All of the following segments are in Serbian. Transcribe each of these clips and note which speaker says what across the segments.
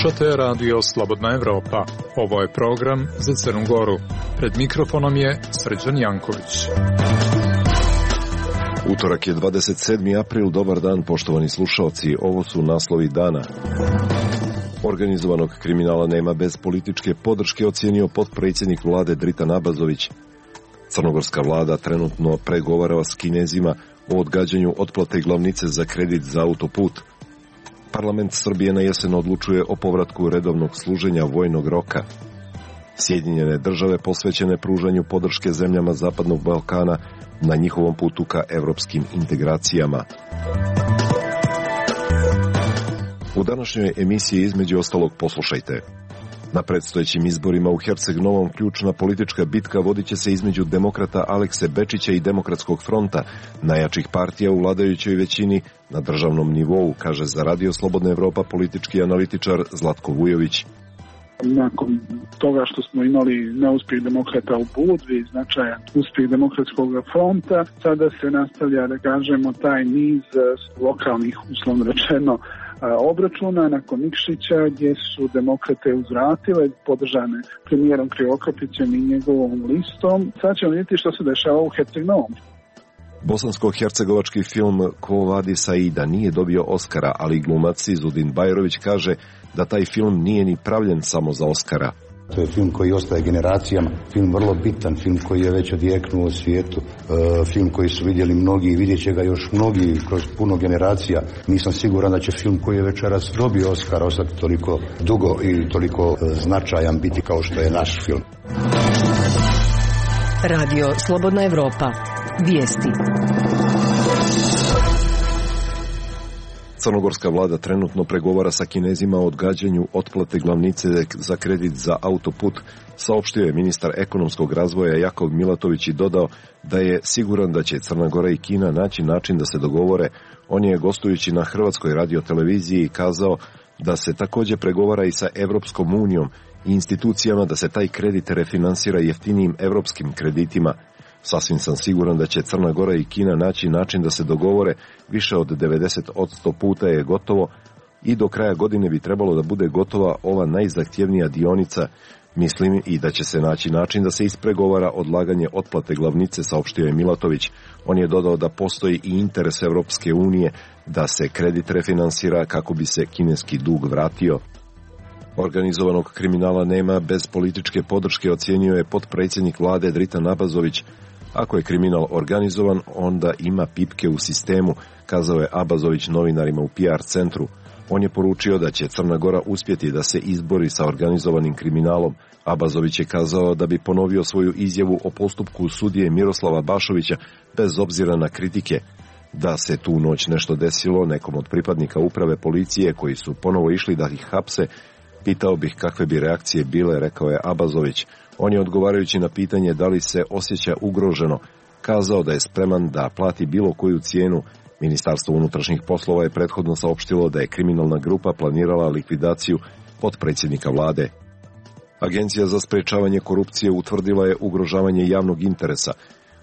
Speaker 1: Slušate Radio Slobodna Evropa. Ovo je program za Crnu Goru. Pred mikrofonom je Srđan Janković.
Speaker 2: Utorak je 27. april, dobar dan poštovani slušalci, ovo su naslovi dana. Organizovanog kriminala nema bez političke podrške, ocijenio potpredsjednik vlade Dritan Abazović. Crnogorska vlada trenutno pregovara s Kinezima o odgađanju otplate glavnice za kredit za autoput. Parlament Srbije na jesen odlučuje o povratku redovnog služenja vojnog roka. Sjedinjene države posvećene pružanju podrške zemljama Zapadnog Balkana na njihovom putu ka evropskim integracijama. U današnjoj emisiji između ostalog poslušajte. Na predstojećim izborima u Herceg-Novom ključna politička bitka vodit će se između demokrata Alekse Bečića i Demokratskog fronta, najjačih partija u vladajućoj većini na državnom nivou, kaže za Radio Slobodna Evropa politički analitičar Zlatko Vujović.
Speaker 3: Nakon toga što smo imali neuspjeh demokrata u Budvi, značajan uspjeh Demokratskog fronta, sada se nastavlja, da kažemo, taj niz lokalnih, uslovno rečeno, obračuna nakon Nikšića, gdje su demokrate uzvratile, podržane premijerom Krivokapićem i njegovom listom. Sad ćemo vidjeti što se dešava u Herceg-Novom.
Speaker 2: Bosansko-hercegovački film Ko vadi Saida nije dobio Oskara, ali glumac Izudin Bajrović kaže da taj film nije ni pravljen samo za Oskara.
Speaker 4: To je film koji ostaje generacijama, film vrlo bitan, film koji je već odjeknuo u svijetu, film koji su vidjeli mnogi i vidjet će ga još mnogi kroz puno generacija. Nisam siguran da će film koji je večeras dobio Oskar ostati toliko dugo i toliko značajan biti kao što je naš film.
Speaker 5: Radio Slobodna Evropa. Vijesti.
Speaker 2: Crnogorska vlada trenutno pregovara sa Kinezima o odgađanju otplate glavnice za kredit za autoput, saopštio je ministar ekonomskog razvoja Jakov Milatović i dodao da je siguran da će Crna Gora i Kina naći način da se dogovore. On je gostujući na Hrvatskoj radioteleviziji kazao da se također pregovara i sa Evropskom unijom i institucijama da se taj kredit refinansira jeftinijim evropskim kreditima. Sasvim sam siguran da će Crna Gora i Kina naći način da se dogovore, više od 90% puta je gotovo i do kraja godine bi trebalo da bude gotova ova najzahtjevnija dionica. Mislim i da će se naći način da se ispregovara odlaganje otplate glavnice, saopštio je Milatović. On je dodao da postoji i interes Evropske unije da se kredit refinansira kako bi se kineski dug vratio. Organizovanog kriminala nema bez političke podrške, ocijenio je potpredsjednik vlade Dritan Abazović. Ako je kriminal organizovan, onda ima pipke u sistemu, kazao je Abazović novinarima u PR centru. On je poručio da će Crna Gora uspjeti da se izbori sa organizovanim kriminalom. Abazović je kazao da bi ponovio svoju izjavu o postupku sudije Miroslava Bašovića bez obzira na kritike. Da se tu noć nešto desilo nekom od pripadnika uprave policije koji su ponovo išli da ih hapse, pitao bih kakve bi reakcije bile, rekao je Abazović. On je odgovarajući na pitanje da li se osjeća ugroženo, kazao da je spreman da plati bilo koju cijenu. Ministarstvo unutrašnjih poslova je prethodno saopštilo da je kriminalna grupa planirala likvidaciju potpredsjednika vlade. Agencija za sprečavanje korupcije utvrdila je ugrožavanje javnog interesa,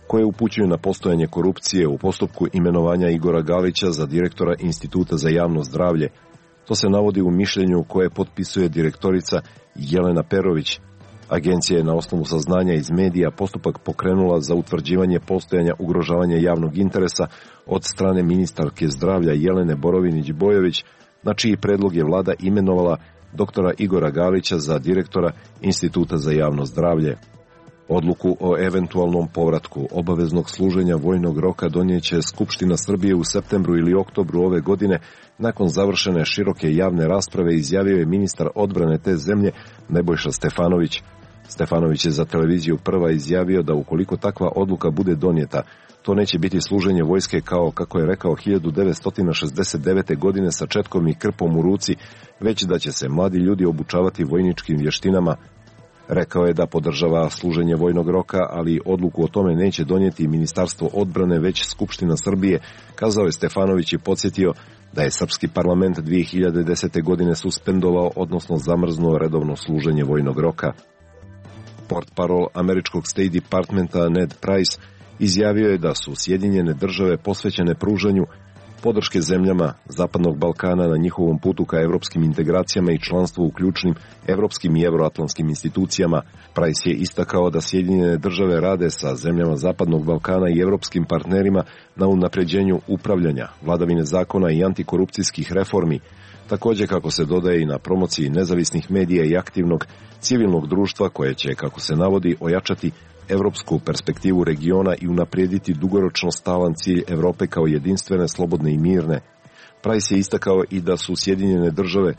Speaker 2: koje upućuje na postojanje korupcije u postupku imenovanja Igora Galića za direktora Instituta za javno zdravlje. To se navodi u mišljenju koje potpisuje direktorica Jelena Perović. Agencija je na osnovu saznanja iz medija postupak pokrenula za utvrđivanje postojanja ugrožavanja javnog interesa od strane ministarke zdravlja Jelene Borovinić-Bojović, na čiji predlog je vlada imenovala doktora Igora Galića za direktora Instituta za javno zdravlje. Odluku o eventualnom povratku obaveznog služenja vojnog roka donijeće Skupština Srbije u septembru ili oktobru ove godine. Nakon završene široke javne rasprave izjavio je ministar odbrane te zemlje Nebojša Stefanović. Stefanović je za televiziju Prva izjavio da ukoliko takva odluka bude donijeta, to neće biti služenje vojske kao, kako je rekao, 1969. godine sa četkom i krpom u ruci, već da će se mladi ljudi obučavati vojničkim vještinama. Rekao je da podržava služenje vojnog roka, ali odluku o tome neće donijeti Ministarstvo odbrane, već Skupština Srbije, kazao je Stefanović i podsjetio da je srpski parlament 2010. godine suspendovao, odnosno zamrznuo redovno služenje vojnog roka. Portparol američkog State Departmenta Ned Price izjavio je da su Sjedinjene države posvećene pružanju podrške zemljama Zapadnog Balkana na njihovom putu ka evropskim integracijama i članstvu u ključnim evropskim i euroatlantskim institucijama. Price je istakao da Sjedinjene države rade sa zemljama Zapadnog Balkana i evropskim partnerima na unapređenju upravljanja, vladavine zakona i antikorupcijskih reformi, također kako se dodaje i na promociji nezavisnih medija i aktivnog civilnog društva koje će, kako se navodi, ojačati evropsku perspektivu regiona i unaprijediti dugoročno stalan cilj Evrope kao jedinstvene, slobodne i mirne. Price je istakao i da su Sjedinjene države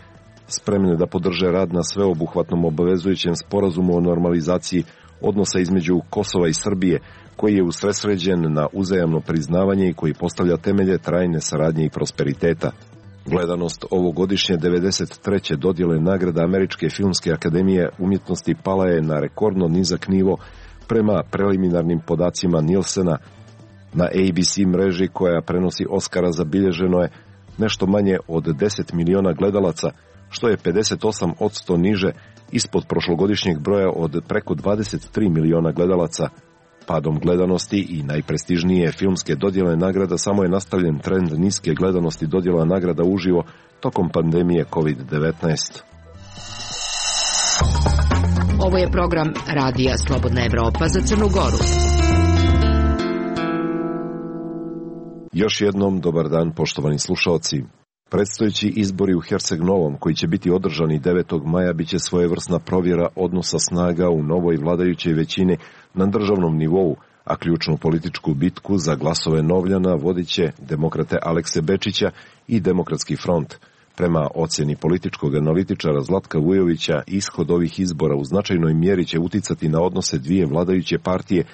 Speaker 2: spremne da podrže rad na sveobuhvatnom obavezujućem sporazumu o normalizaciji odnosa između Kosova i Srbije, koji je usredsređen na uzajamno priznavanje i koji postavlja temelje trajne saradnje i prosperiteta. Gledanost ovogodišnje 93. dodjele nagrada Američke filmske akademije umjetnosti pala je na rekordno nizak nivo prema preliminarnim podacima Nielsena. Na ABC mreži koja prenosi Oscara zabilježeno je nešto manje od 10 miliona gledalaca, što je 58% niže ispod prošlogodišnjeg broja od preko 23 miliona gledalaca. Padom gledanosti i najprestižnije filmske dodjele nagrada samo je nastavljen trend niske gledanosti dodjela nagrada uživo tokom pandemije COVID-19.
Speaker 5: Ovo je program Radija Slobodna Evropa za Crnu Goru.
Speaker 2: Još jednom dobar dan, poštovani slušaoci. Predstojeći izbori u Herceg-Novom, koji će biti održani 9. maja, biće svojevrsna provjera odnosa snaga u novoj vladajućoj većini na državnom nivou, a ključnu političku bitku za glasove Novljana vodit će demokrate Alekse Bečića i Demokratski front. Prema ocjeni političkog analitičara Zlatka Vujovića, ishod ovih izbora u značajnoj mjeri će uticati na odnose dvije vladajuće partije,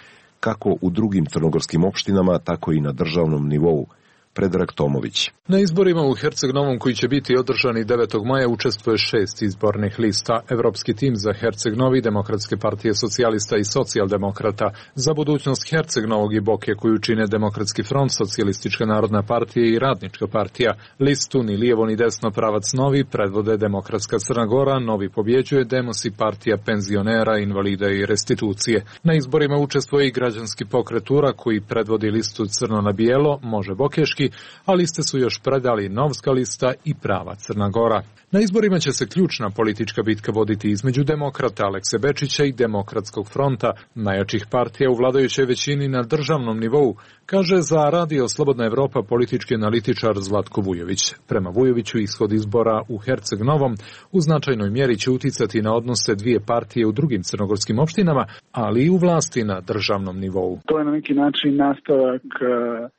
Speaker 2: kako u drugim crnogorskim opštinama, tako i na državnom nivou. Predrag Tomović.
Speaker 1: Na izborima u Herceg-Novom koji će biti održani 9. maja učestvuje 6 izbornih lista. Evropski tim za Herceg-Novi, Demokratske partije socijalista i socijaldemokrata, za budućnost Herceg-Novog i Boke koju čine Demokratski front, Socijalistička narodna partija i Radnička partija. Listu ni lijevo ni desno pravac novi predvode Demokratska Crna Gora, Novi pobjeđuje, Demos i partija penzionera, invalida i restitucije. Na izborima učestvuje i građanski pokret URA koji predvodi listu Crno na bijelo, Može Bokeški, a liste su još predali Novska lista i Prava Crna Gora. Na izborima će se ključna politička bitka voditi između demokrata Alekse Bečića i Demokratskog fronta, najjačih partija u vladajućoj većini na državnom nivou, kaže za Radio Slobodna Evropa politički analitičar Zlatko Vujović. Prema Vujoviću, ishod izbora u Herceg-Novom u značajnoj mjeri će uticati na odnose dvije partije u drugim crnogorskim opštinama, ali i u vlasti na državnom nivou.
Speaker 3: To je na neki način nastavak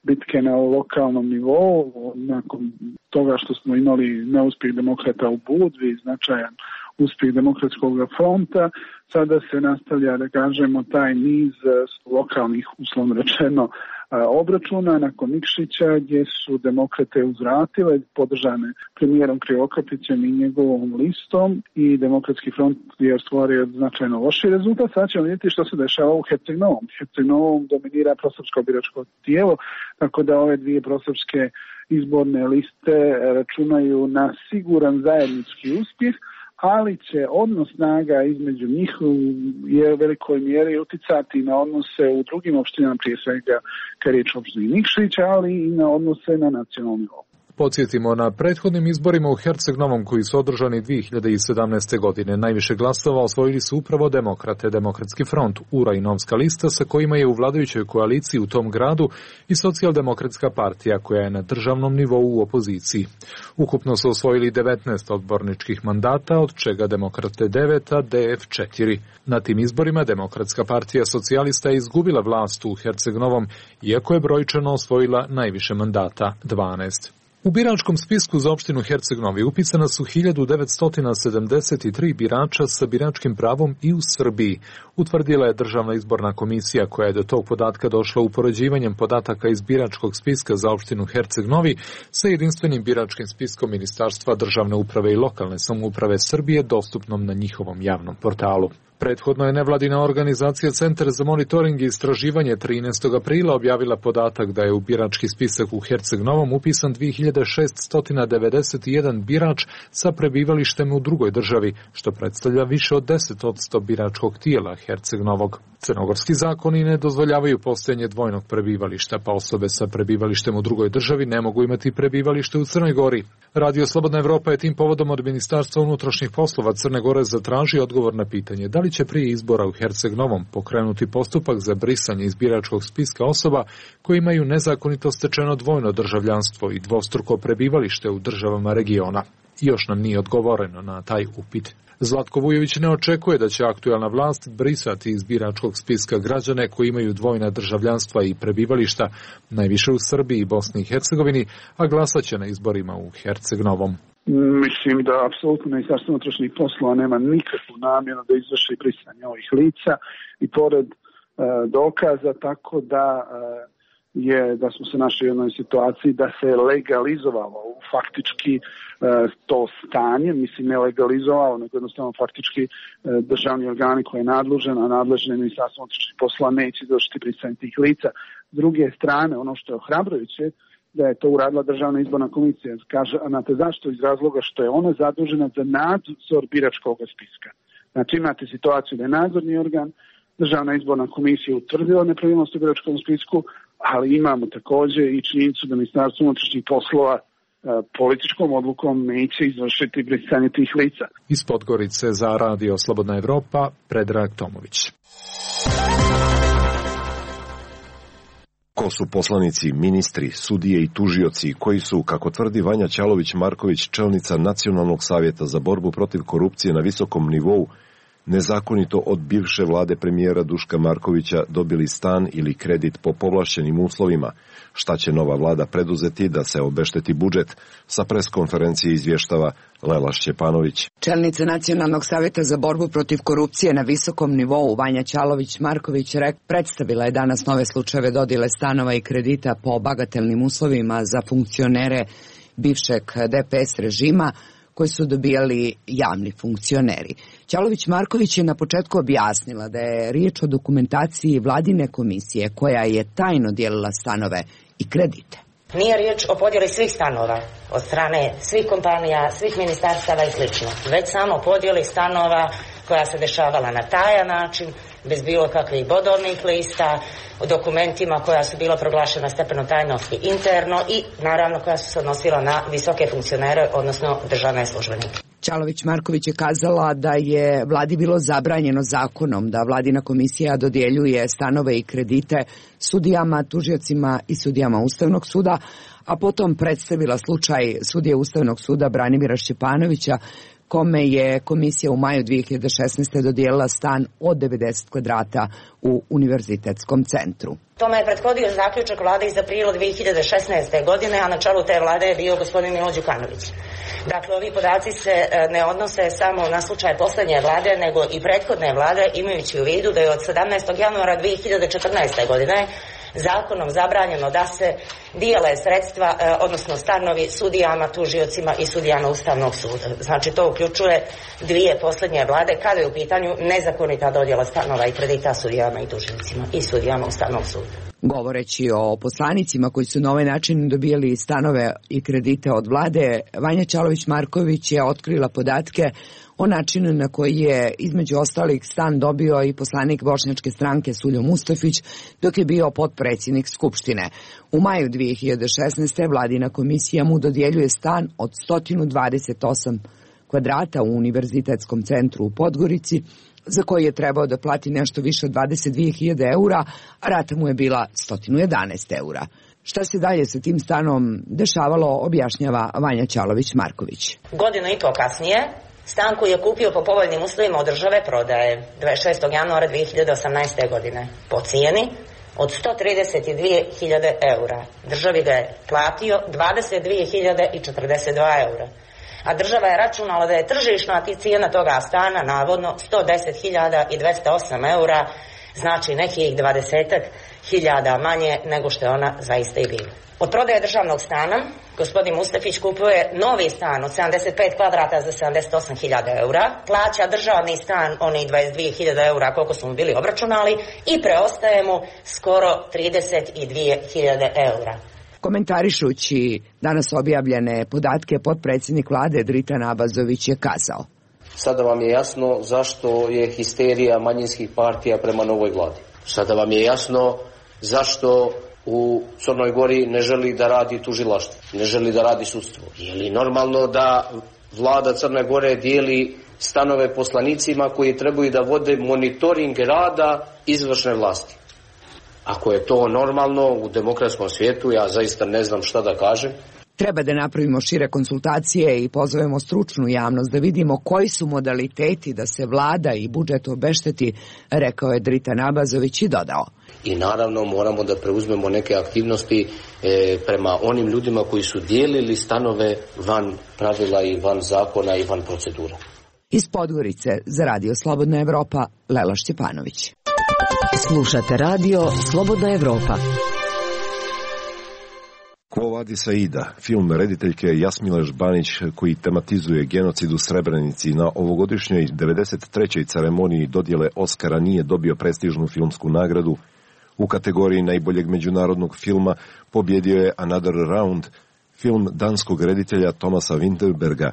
Speaker 3: bitke na lokalnom nivou, nakon toga što smo imali neuspjeh demokrata u Budvi, značajan uspjeh Demokratskog fronta, sada se nastavlja, da kažemo, taj niz lokalnih, uslovno rečeno, obračuna nakon Nikšića, gdje su demokrate uzvratile, podržane premijerom Krivokapićem i njegovom listom, i Demokratski front je ostvario značajno loši rezultat. Sad ćemo vidjeti što se dešava u Herceg-Novom. Herceg-Novom dominira prosrpsko biračko tijelo, tako da ove dvije prosrpske izborne liste računaju na siguran zajednički uspjeh, ali će odnos snaga između njih je u velikoj mjeri uticati na odnose u drugim opštinama, prije svega kad je riječ o opštini Nikšića, ali i na odnose na nacionalnom nivou.
Speaker 1: Podsjetimo, na prethodnim izborima u Herceg-Novom koji su održani 2017. godine najviše glasova osvojili su upravo demokrate, Demokratski front, URA i Novska lista, sa kojima je u vladajućoj koaliciji u tom gradu i Socijaldemokratska partija koja je na državnom nivou u opoziciji. Ukupno su osvojili 19 odborničkih mandata, od čega Demokrate 9, a DF 4. Na tim izborima Demokratska partija socijalista je izgubila vlast u Herceg-Novom, iako je brojčano osvojila najviše mandata, 12. U biračkom spisku za opštinu Herceg-Novi upisana su 1973 birača sa biračkim pravom i u Srbiji, utvrdila je Državna izborna komisija koja je do tog podatka došla upoređivanjem podataka iz biračkog spiska za opštinu Herceg-Novi sa jedinstvenim biračkim spiskom Ministarstva državne uprave i lokalne samouprave Srbije dostupnom na njihovom javnom portalu. Prethodno je nevladina organizacija Centar za monitoring i istraživanje 13. aprila objavila podatak da je u birački spisak u Herceg-Novom upisan 2691 birač sa prebivalištem u drugoj državi, što predstavlja više od 10% biračkog tijela Herceg-Novog. Crnogorski zakoni ne dozvoljavaju postojanje dvojnog prebivališta, pa osobe sa prebivalištem u drugoj državi ne mogu imati prebivalište u Crnoj Gori. Radio Slobodna Evropa je tim povodom od Ministarstva unutrašnjih poslova Crne Gore zatražio odgovor na pitanje da li će prije izbora u Herceg Novom pokrenuti postupak za brisanje iz biračkog spiska osoba koji imaju nezakonito stečeno dvojno državljanstvo i dvostruko prebivalište u državama regiona. Još nam nije odgovoreno na taj upit. Zlatko Vujović ne očekuje da će aktuelna vlast brisati iz biračkog spiska građane koji imaju dvojna državljanstva i prebivališta, najviše u Srbiji i Bosni i Hercegovini, a glasat će na izborima u Herceg Novom.
Speaker 3: Mislim da apsolutno Ministarstvo unutrašnjih poslova nema nikakvu namjeru da izvrši brisanje ovih lica i pored dokaza, tako da smo se našli u jednoj situaciji da se legalizovalo faktički to stanje, mislim ne legalizovalo, nego jednostavno faktički državni organi koji je nadležan, a nadležno je Ministarstvo unutrašnjih poslova neće izvršiti brisanje tih lica. S druge strane, ono što je ohrabrujuće, da je to uradila Državna izborna komisija. Kaže, znate zašto? Iz razloga što je ona zadužena za nadzor biračkog spiska. Znači imate situaciju da je nadzorni organ, Državna izborna komisija utvrdila nepravilnost u biračkom spisku, ali imamo također i činjenicu da Ministarstvo unutrašnjih poslova političkom odlukom neće izvršiti brisanje tih lica.
Speaker 1: Iz Podgorice za Radio Slobodna Evropa, Predrag Tomović.
Speaker 2: Ko su poslanici, ministri, sudije i tužioci koji su, kako tvrdi Vanja Ćalović-Marković, čelnica Nacionalnog savjeta za borbu protiv korupcije na visokom nivou, nezakonito od bivše vlade premijera Duška Markovića dobili stan ili kredit po povlašćenim uslovima? Šta će nova vlada preduzeti da se obešteti budžet? Sa preskonferencije izvještava Lela Šćepanović.
Speaker 5: Čelnica Nacionalnog savjeta za borbu protiv korupcije na visokom nivou Vanja Ćalović-Marković predstavila je danas nove slučajeve dodjele stanova i kredita po bagatelnim uslovima za funkcionere bivšeg DPS režima koji su dobijali javni funkcioneri. Ćalović-Marković je na početku objasnila da je riječ o dokumentaciji vladine komisije koja je tajno dijelila stanove i kredite.
Speaker 6: Nije riječ o podjeli svih stanova od strane svih kompanija, svih ministarstava i sl. Već samo podjeli stanova koja se dešavala na tajan način, bez bilo kakvih bodovnih lista, o dokumentima koja su bila proglašena stepenom tajnosti interno i naravno koja su se odnosila na visoke funkcionere, odnosno državne službenike.
Speaker 5: Ćalović-Marković je kazala da je vladi bilo zabranjeno zakonom da vladina komisija dodjeljuje stanove i kredite sudijama, tužiocima i sudijama Ustavnog suda, a potom predstavila slučaj sudije Ustavnog suda Branimira Šćepanovića, kome je komisija u maju 2016. dodijelila stan od 90 kvadrata u Univerzitetskom centru.
Speaker 6: Tome je prethodio zaključak vlade iz aprila 2016. godine, a na čelu te vlade je bio gospodin Milo Đukanović. Dakle, ovi podaci se ne odnose samo na slučaj posljednje vlade, nego i prethodne vlade, imajući u vidu da je od 17. januara 2014. godine zakonom zabranjeno da se dijele sredstva, odnosno stanovi sudijama, tužiocima i sudijama Ustavnog suda. Znači to uključuje dvije posljednje vlade kada je u pitanju nezakonita dodjela stanova i kredita sudijama i tužiocima i sudijama Ustavnog suda.
Speaker 5: Govoreći o poslanicima koji su na ovaj način dobijali stanove i kredite od vlade, Vanja Ćalović-Marković je otkrila podatke o načinu na koji je između ostalih stan dobio i poslanik Bošnjačke stranke Suljo Mustafić dok je bio potpredsjednik Skupštine. U maju 2016. vladina komisija mu dodjeljuje stan od 128 kvadrata u Univerzitetskom centru u Podgorici, za koji je trebao da plati nešto više od 22.000 eura, a rata mu je bila 111 eura. Šta se dalje sa tim stanom dešavalo, objašnjava Vanja Ćalović-Marković.
Speaker 6: Godinu i po kasnije, stan koji je kupio po povoljnim uslovima od države prodaje 26. januara 2018. godine po cijeni od 132.000 eura. Državi ga je platio 22.042 eura. A država je računala da je tržišna cijena toga stana navodno 110.208 eura, znači nekih 20.000 manje nego što je ona zaista i bila. Od prodaje državnog stana gospodin Mustafić kupuje novi stan od 75 kvadrata za 78.000 eura, plaća državni stan onih 22.000 eura koliko smo bili obračunali i preostaje mu skoro 32.000 eura.
Speaker 5: Komentarišući danas objavljene podatke, potpredsjednik vlade Dritan Abazović je kazao:
Speaker 7: Sada vam je jasno zašto je histerija manjinskih partija prema novoj vladi. Sada vam je jasno zašto u Crnoj Gori ne želi da radi tužilaštvo, ne želi da radi sudstvo. Je li normalno da vlada Crne Gore dijeli stanove poslanicima koji trebaju da vode monitoring rada izvršne vlasti? Ako je to normalno u demokratskom svijetu, ja zaista ne znam šta da kažem.
Speaker 5: Treba da napravimo šire konsultacije i pozovemo stručnu javnost da vidimo koji su modaliteti da se vlada i budžet obešteti, rekao je Dritan Abazović i dodao.
Speaker 7: I naravno moramo da preuzmemo neke aktivnosti prema onim ljudima koji su dijelili stanove van pravila i van zakona i van procedura.
Speaker 5: Iz Podgorice za Radio Slobodna Evropa, Lela Šćepanović.
Speaker 8: Slušate Radio Slobodna Evropa.
Speaker 2: Quo vadis Aida, film rediteljke Jasmile Žbanić koji tematizuje genocid u Srebrenici, na ovogodišnjoj 93. ceremoniji dodjele Oskara nije dobio prestižnu filmsku nagradu. U kategoriji najboljeg međunarodnog filma pobjedio je Another Round, film danskog reditelja Thomasa Winterberga.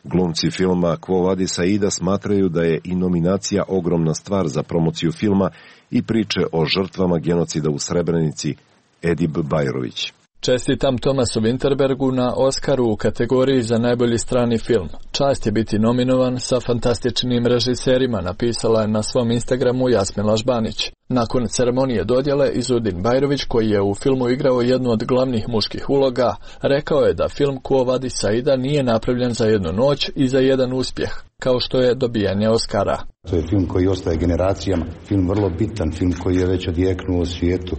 Speaker 2: Glumci filma Quo vadis Aida smatraju da je i nominacija ogromna stvar za promociju filma i priče o žrtvama genocida u Srebrenici. Edip Bajrović.
Speaker 1: Čestitam Thomasu Winterbergu na Oskaru u kategoriji za najbolji strani film. Čast je biti nominovan sa fantastičnim režiserima, napisala je na svom Instagramu Jasmila Žbanić. Nakon ceremonije dodjele, Izudin Bajrović, koji je u filmu igrao jednu od glavnih muških uloga, rekao je da film Quo vadis Aida nije napravljen za jednu noć i za jedan uspjeh, kao što je dobijanje Oskara.
Speaker 4: To je film koji ostaje generacijama, film vrlo bitan, film koji je već odjeknuo u svijetu,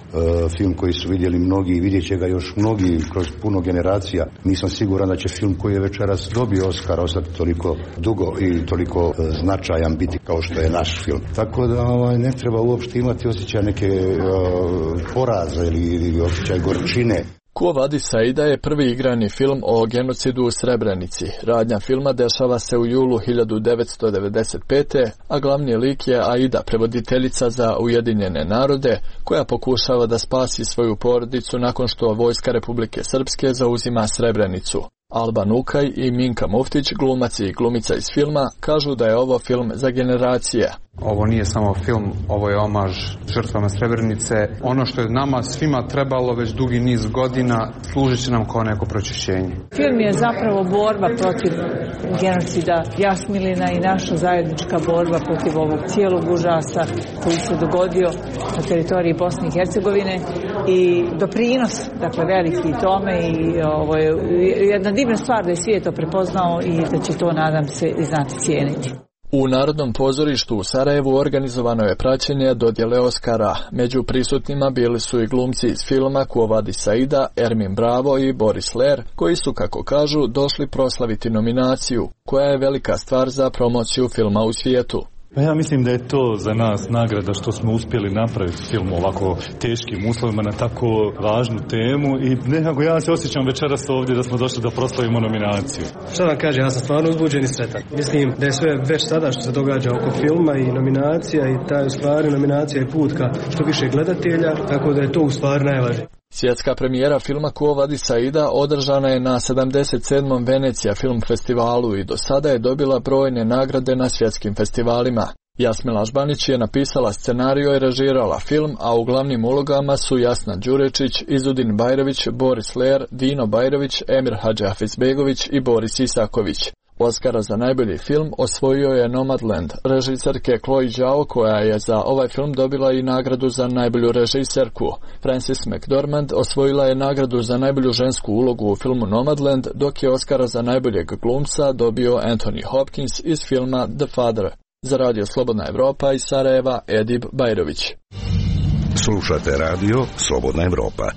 Speaker 4: film koji su vidjeli mnogi i vidjet će ga još mnogi kroz puno generacija. Nisam siguran da će film koji je večeras dobio Oskar ostati toliko dugo i toliko značajan biti kao što je naš film. Tako da ne treba uopšte imati osjećaj neke poraza ili osjećaj gorčine.
Speaker 1: Quo vadis Aida je prvi igrani film o genocidu u Srebrenici. Radnja filma dešava se u julu 1995. a glavni lik je Aida, prevoditeljica za Ujedinjene narode, koja pokušava da spasi svoju porodicu nakon što vojska Republike Srpske zauzima Srebrenicu. Alban Ukaj i Minka Muftić, glumac i glumica iz filma, kažu da je ovo film za generacije.
Speaker 9: Ovo nije samo film, ovo je omaž žrtvama Srebrenice. Ono što je nama svima trebalo već dugi niz godina, služit će nam kao neko pročišćenje.
Speaker 10: Film je zapravo borba protiv genocida Jasmilina i naša zajednička borba protiv ovog cijelog užasa koji se dogodio na teritoriji Bosne i Hercegovine i doprinos, dakle, veliki tome i ovo je jedna divna stvar da je svijet to prepoznao i da će to, nadam se, i znati cijeniti.
Speaker 1: U Narodnom pozorištu u Sarajevu organizovano je praćenje dodjele Oskara. Među prisutnima bili su i glumci iz filma Quo vadis Aida, Ermin Bravo i Boris Ler, koji su, kako kažu, došli proslaviti nominaciju, koja je velika stvar za promociju filma u svijetu.
Speaker 11: Ja mislim da je to za nas nagrada što smo uspjeli napraviti film u ovako teškim uslovima na tako važnu temu i nekako ja se osjećam večeras ovdje da smo došli da proslavimo nominaciju.
Speaker 12: Što vam kažem, ja sam stvarno uzbuđen i sretan. Mislim da je sve već sada što se događa oko filma i nominacija i taj u stvari nominacija je put ka što više gledatelja, tako da je to u stvari najvažnije.
Speaker 1: Svjetska premijera filma Quo vadis Aida održana je na 77. Venecija film festivalu i do sada je dobila brojne nagrade na svjetskim festivalima. Jasmila Žbanić je napisala scenariju i režirala film, a u glavnim ulogama su Jasna Đurečić, Izudin Bajrović, Boris Ler, Dino Bajrović, Emir Hadžiafizbegović i Boris Isaković. Oskara za najbolji film osvojio je Nomadland, režiserke Chloe Zhao, koja je za ovaj film dobila i nagradu za najbolju režiserku. Frances McDormand osvojila je nagradu za najbolju žensku ulogu u filmu Nomadland, dok je Oskara za najboljeg glumca dobio Anthony Hopkins iz filma The Father. Za Radio Slobodna Evropa iz Sarajeva, Edip Bajrović.
Speaker 13: Slušate Radio Slobodna Evropa.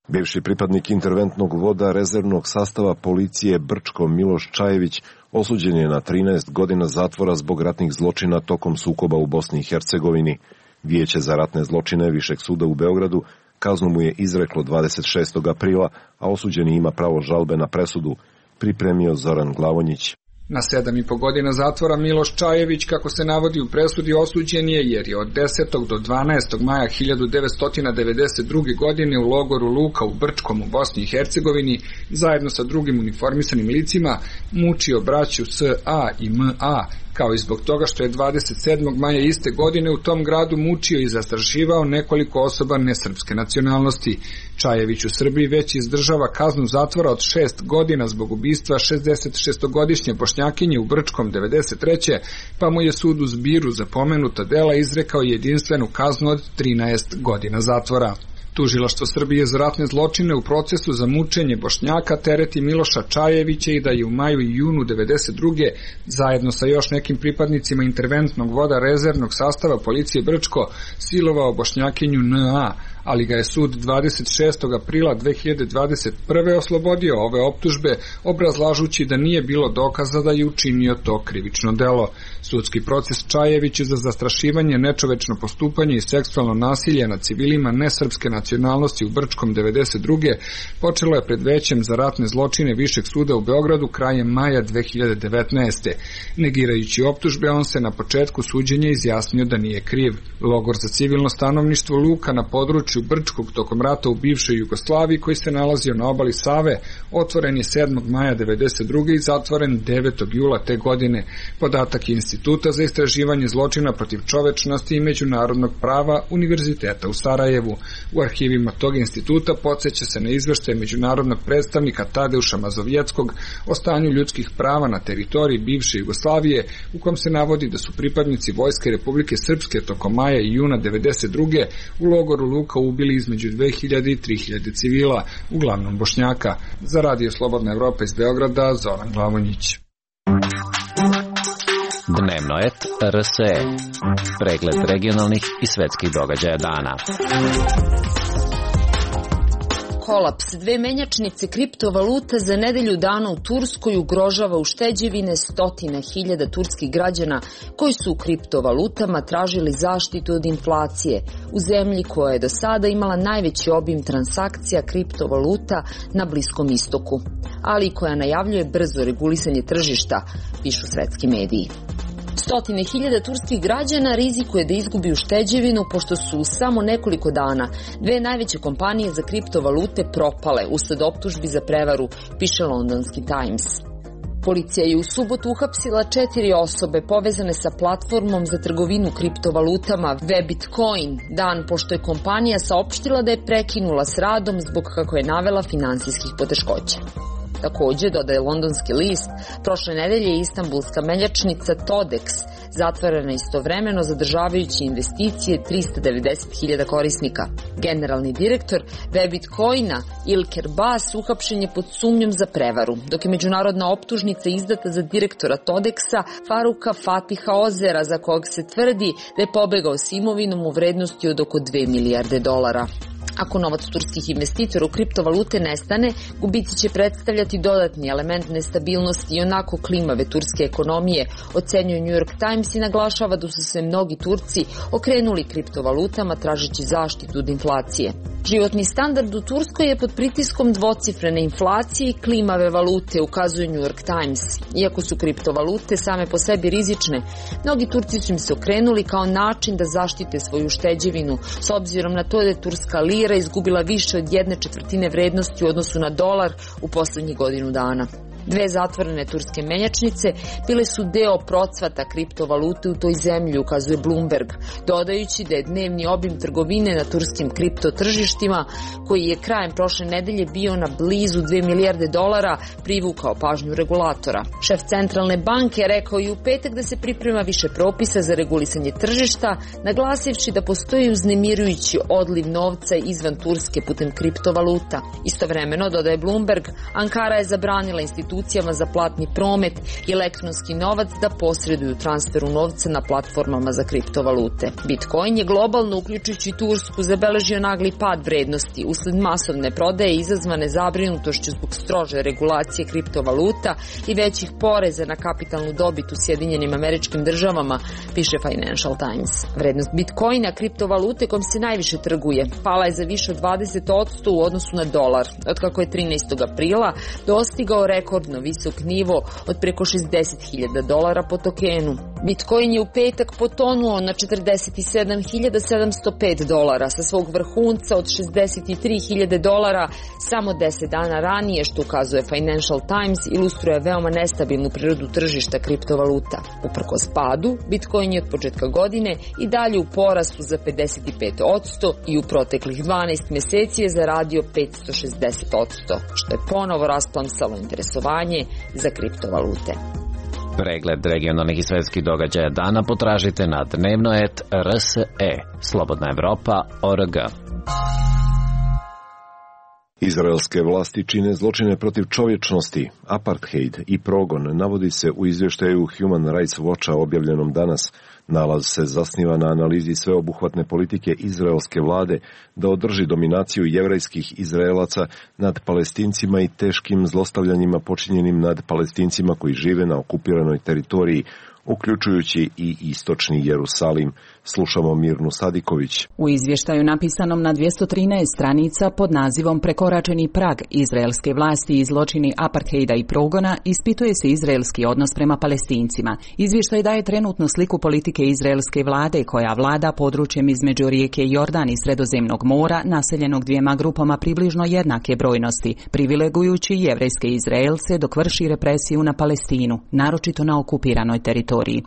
Speaker 2: Bivši pripadnik interventnog voda rezervnog sastava policije Brčko Miloš Čajević osuđen je na 13 godina zatvora zbog ratnih zločina tokom sukoba u Bosni i Hercegovini. Vijeće za ratne zločine Višeg suda u Beogradu kaznu mu je izreklo 26. aprila, a osuđeni ima pravo žalbe na presudu, pripremio Zoran Glavonjić.
Speaker 14: Na 7,5 godina zatvora Miloš Čajević, kako se navodi u presudi, osuđen je jer je od 10. do 12. maja 1992. godine u logoru Luka u Brčkom u Bosni i Hercegovini zajedno sa drugim uniformisanim licima mučio braću S.A. i M.A., kao i zbog toga što je 27. maja iste godine u tom gradu mučio i zastrašivao nekoliko osoba nesrpske nacionalnosti. Čajević u Srbiji već izdržava kaznu zatvora od 6 godina zbog ubistva 66-godišnje Bošnjakinje u Brčkom 93. pa mu je sud u Zbiru za pomenuta dela izrekao jedinstvenu kaznu od 13 godina zatvora. Tužilaštvo Srbije za ratne zločine u procesu za mučenje Bošnjaka tereti Miloša Čajevića i da je u maju i junu 92. zajedno sa još nekim pripadnicima interventnog voda rezervnog sastava policije Brčko silovao Bošnjakinju N.A., ali ga je sud 26. aprila 2021. oslobodio ove optužbe, obrazlažući da nije bilo dokaza da je učinio to krivično delo. Sudski proces Čajeviću za zastrašivanje, nečovečno postupanje i seksualno nasilje nad civilima nesrpske nacionalnosti u Brčkom 92. počelo je pred većem za ratne zločine Višeg suda u Beogradu krajem maja 2019. Negirajući optužbe, on se na početku suđenja izjasnio da nije kriv. Logor za civilno stanovništvo Luka na području Brčkog tokom rata u bivšoj Jugoslaviji, koji se nalazio na obali Save, otvoren je 7. maja 1992. i zatvoren 9. jula te godine. Podatak je Instituta za istraživanje zločina protiv čovečnosti i međunarodnog prava Univerziteta u Sarajevu. U arhivima tog instituta podsjeća se na izveštaj međunarodnog predstavnika Tadeuša Mazovjeckog o stanju ljudskih prava na teritoriji bivše Jugoslavije, u kom se navodi da su pripadnici Vojske Republike Srpske tokom maja i juna 1992. u logoru Luka ubili između 2000 i 3000 civila, uglavnom Bošnjaka. Za Radio Slobodna Evropa iz Beograda, Zoran Glavonjić.
Speaker 15: Dnevno et RSE. Pregled regionalnih i svetskih događaja dana.
Speaker 16: Kolaps dve menjačnice kriptovaluta za nedelju dana u Turskoj ugrožava ušteđevine 100.000 turskih građana koji su u kriptovalutama tražili zaštitu od inflacije u zemlji koja je do sada imala najveći obim transakcija kriptovaluta na Bliskom istoku, ali i koja najavljuje brzo regulisanje tržišta, pišu svetski mediji. 100.000 turskih građana rizikuje da izgubi ušteđevinu pošto su u samo nekoliko dana dve najveće kompanije za kriptovalute propale usled optužbi za prevaru, piše londonski Times. Policija je u subotu uhapsila 4 osobe povezane sa platformom za trgovinu kriptovalutama Webitcoin, dan pošto je kompanija saopštila da je prekinula s radom zbog, kako je navela, finansijskih poteškoća. Takođe, dodaje londonski list, prošle nedelje je istanbulska menjačnica Todex zatvorena istovremeno zadržavajući investicije 390.000 korisnika. Generalni direktor Webitcoina Ilker Bas uhapšen je pod sumnjom za prevaru, dok je međunarodna optužnica izdata za direktora Todexa Faruka Fatiha Ozera, za kog se tvrdi da je pobegao s imovinom u vrednosti od oko 2 milijarde dolara. Ako novac turskih investitora u kriptovalute nestane, gubici će predstavljati dodatni element nestabilnosti i onako klimave turske ekonomije, ocenjuje New York Times i naglašava da su se mnogi Turci okrenuli kriptovalutama tražeći zaštitu od inflacije. Životni standard u Turskoj je pod pritiskom dvocifrene inflacije i klimave valute, ukazuje New York Times. Iako su kriptovalute same po sebi rizične, mnogi Turci su im se okrenuli kao način da zaštite svoju ušteđevinu, s obzirom na to da je turska lira izgubila više od 1/4 vrednosti u odnosu na dolar u poslednjih godinu dana. Dve zatvorene turske menjačnice bile su deo procvata kriptovalute u toj zemlji, ukazuje Bloomberg, dodajući da je dnevni obim trgovine na turskim kriptotržištima, koji je krajem prošle nedelje bio na blizu 2 milijarde dolara, privukao pažnju regulatora. Šef centralne banke rekao i u petak da se priprema više propisa za regulisanje tržišta, naglasivši da postoji uznemirujući odliv novca izvan Turske putem kriptovaluta. Istovremeno, dodaje Bloomberg, Ankara je zabranila institucijama za platni promet i elektronski novac da posreduju transferu novca na platformama za kriptovalute. Bitcoin je globalno, uključujući Tursku, zabeležio nagli pad vrednosti usled masovne prodaje izazvane zabrinutošću zbog strože regulacije kriptovaluta i većih poreza na kapitalnu dobit u Sjedinjenim Američkim Državama, piše Financial Times. Vrednost Bitcoina, kriptovalute kojom se najviše trguje, pala je za više od 20% u odnosu na dolar, otkako je 13. aprila dostigao rekord rekordno visok nivo od preko $60.000 po tokenu. Bitcoin je u petak potonuo na $47.705 sa svog vrhunca od $63.000 samo 10 dana ranije, što ukazuje Financial Times, ilustruje veoma nestabilnu prirodu tržišta kriptovaluta. Uprkos padu, Bitcoin je od početka godine i dalje u porastu za 55% i u proteklih 12 meseci je zaradio 560%, što je ponovo rasplamsalo interesovanje za kriptovalute.
Speaker 15: Pregled regionalnih i svetskih događaja dana potražite na dnevno.rse, slobodnaevropa.org.
Speaker 2: Izraelske vlasti čine zločine protiv čovječnosti, apartheid i progon, navodi se u izvještaju Human Rights Watcha objavljenom danas. Nalaz se zasniva na analizi sveobuhvatne politike izraelske vlade da održi dominaciju jevrejskih Izraelaca nad Palestincima i teškim zlostavljanjima počinjenim nad Palestincima koji žive na okupiranoj teritoriji, uključujući i istočni Jerusalim. Slušamo Mirnu Sadiković.
Speaker 17: U izvještaju napisanom na 213 stranica pod nazivom Prekoračeni prag izraelske vlasti i zločini apartheida i progona ispituje se izraelski odnos prema Palestincima. Izvještaj daje trenutnu sliku politike izraelske vlade koja vlada područjem između rijeke Jordan i Sredozemnog mora, naseljenog dvijema grupama približno jednake brojnosti, privilegujući jevrejske Izraelce dok vrši represiju na Palestinu, naročito na okupiranoj teritoriji.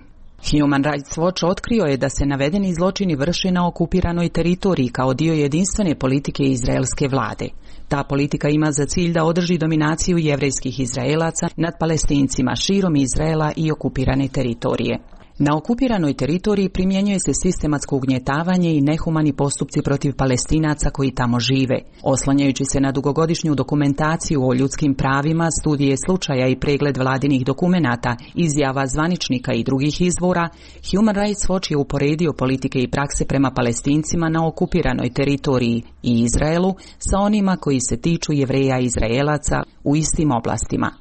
Speaker 17: Human Rights Watch otkrio je da se navedeni zločini vrše na okupiranoj teritoriji kao dio jedinstvene politike izraelske vlade. Ta politika ima za cilj da održi dominaciju jevrejskih Izraelaca nad Palestincima širom Izraela i okupirane teritorije. Na okupiranoj teritoriji primjenjuje se sistematsko ugnjetavanje i nehumani postupci protiv Palestinaca koji tamo žive. Oslanjajući se na dugogodišnju dokumentaciju o ljudskim pravima, studije slučaja i pregled vladinih dokumenata, izjava zvaničnika i drugih izvora, Human Rights Watch je uporedio politike i prakse prema Palestincima na okupiranoj teritoriji i Izraelu sa onima koji se tiču Jevreja i Izraelaca u istim oblastima.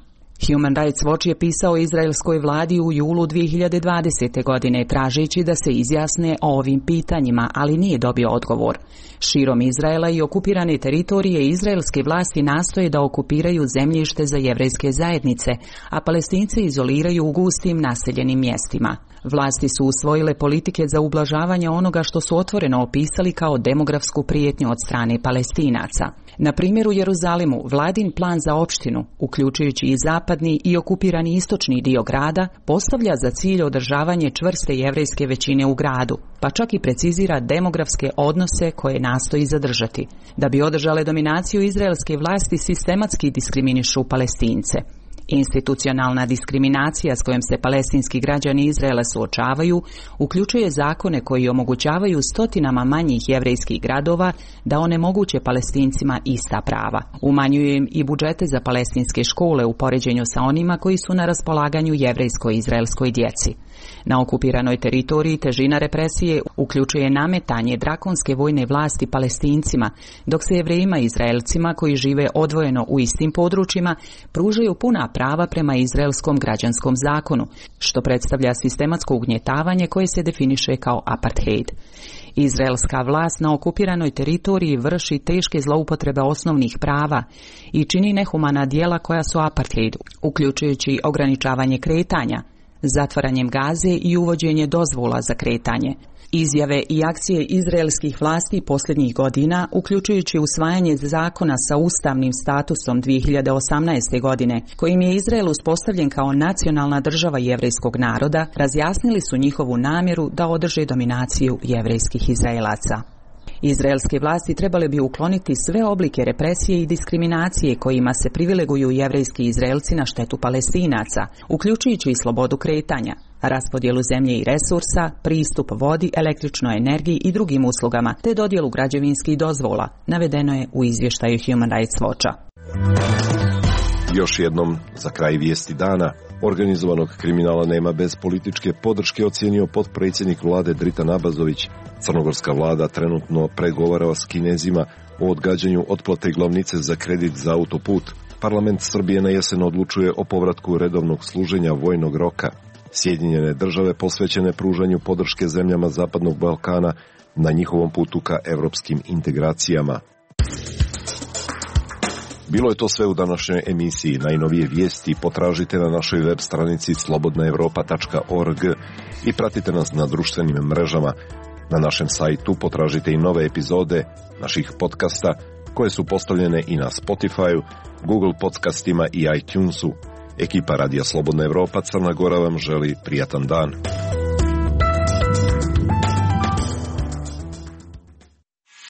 Speaker 17: Human Rights Watch je pisao izraelskoj vladi u julu 2020. godine tražeći da se izjasne o ovim pitanjima, ali nije dobio odgovor. Širom Izraela i okupirane teritorije izraelske vlasti nastoje da okupiraju zemljište za jevrejske zajednice, a Palestince izoliraju u gustim naseljenim mjestima. Vlasti su usvojile politike za ublažavanje onoga što su otvoreno opisali kao demografsku prijetnju od strane Palestinaca. Na primjer u Jeruzalemu vladin plan za opštinu, uključujući i zapadni i okupirani istočni dio grada, postavlja za cilj održavanje čvrste jevrejske većine u gradu, pa čak i precizira demografske odnose koje nastoji zadržati. Da bi održale dominaciju izraelske vlasti sistematski diskriminišu Palestince. Institucionalna diskriminacija s kojom se palestinski građani Izraela suočavaju uključuje zakone koji omogućavaju stotinama manjih jevrejskih gradova da onemoguće Palestincima ista prava. Umanjuju im i budžete za palestinske škole u poređenju sa onima koji su na raspolaganju jevrejsko-izraelskoj djeci. Na okupiranoj teritoriji težina represije uključuje nametanje drakonske vojne vlasti Palestincima, dok se Jevrejima i Izraelcima koji žive odvojeno u istim područjima pružaju puna prava prema izraelskom građanskom zakonu, što predstavlja sistematsko ugnjetavanje koje se definiše kao apartheid. Izraelska vlast na okupiranoj teritoriji vrši teške zloupotrebe osnovnih prava i čini nehumana djela koja su apartheid, uključujući ograničavanje kretanja, zatvaranjem Gaze i uvođenje dozvola za kretanje. Izjave i akcije izraelskih vlasti posljednjih godina, uključujući usvajanje zakona sa ustavnim statusom 2018. godine, kojim je Izrael uspostavljen kao nacionalna država jevrejskog naroda, razjasnili su njihovu namjeru da održe dominaciju jevrejskih Izraelaca. Izraelske vlasti trebale bi ukloniti sve oblike represije i diskriminacije kojima se privileguju jevrejski Izraelci na štetu Palestinaca, uključujući i slobodu kretanja, raspodjelu zemlje i resursa, pristup vodi, električnoj energiji i drugim uslugama, te dodjelu građevinskih dozvola, navedeno je u izvještaju Human Rights Watcha.
Speaker 2: Još jednom, za kraj vijesti dana, organizovanog kriminala nema bez političke podrške, ocijenio potpredsjednik vlade Dritan Abazović. Crnogorska vlada trenutno pregovara s Kinezima o odgađanju otplate glavnice za kredit za autoput. Parlament Srbije na jesen odlučuje o povratku redovnog služenja vojnog roka. Sjedinjene države posvećene pružanju podrške zemljama Zapadnog Balkana na njihovom putu ka evropskim integracijama. Bilo je to sve u današnjoj emisiji. Najnovije vijesti potražite na našoj web stranici slobodnaevropa.org i pratite nas na društvenim mrežama. Na našem sajtu potražite i nove epizode naših podcasta koje su postavljene i na Spotify, Google podcastima i iTunesu. Ekipa Radija Slobodna Evropa Crna Gora vam želi prijatan dan.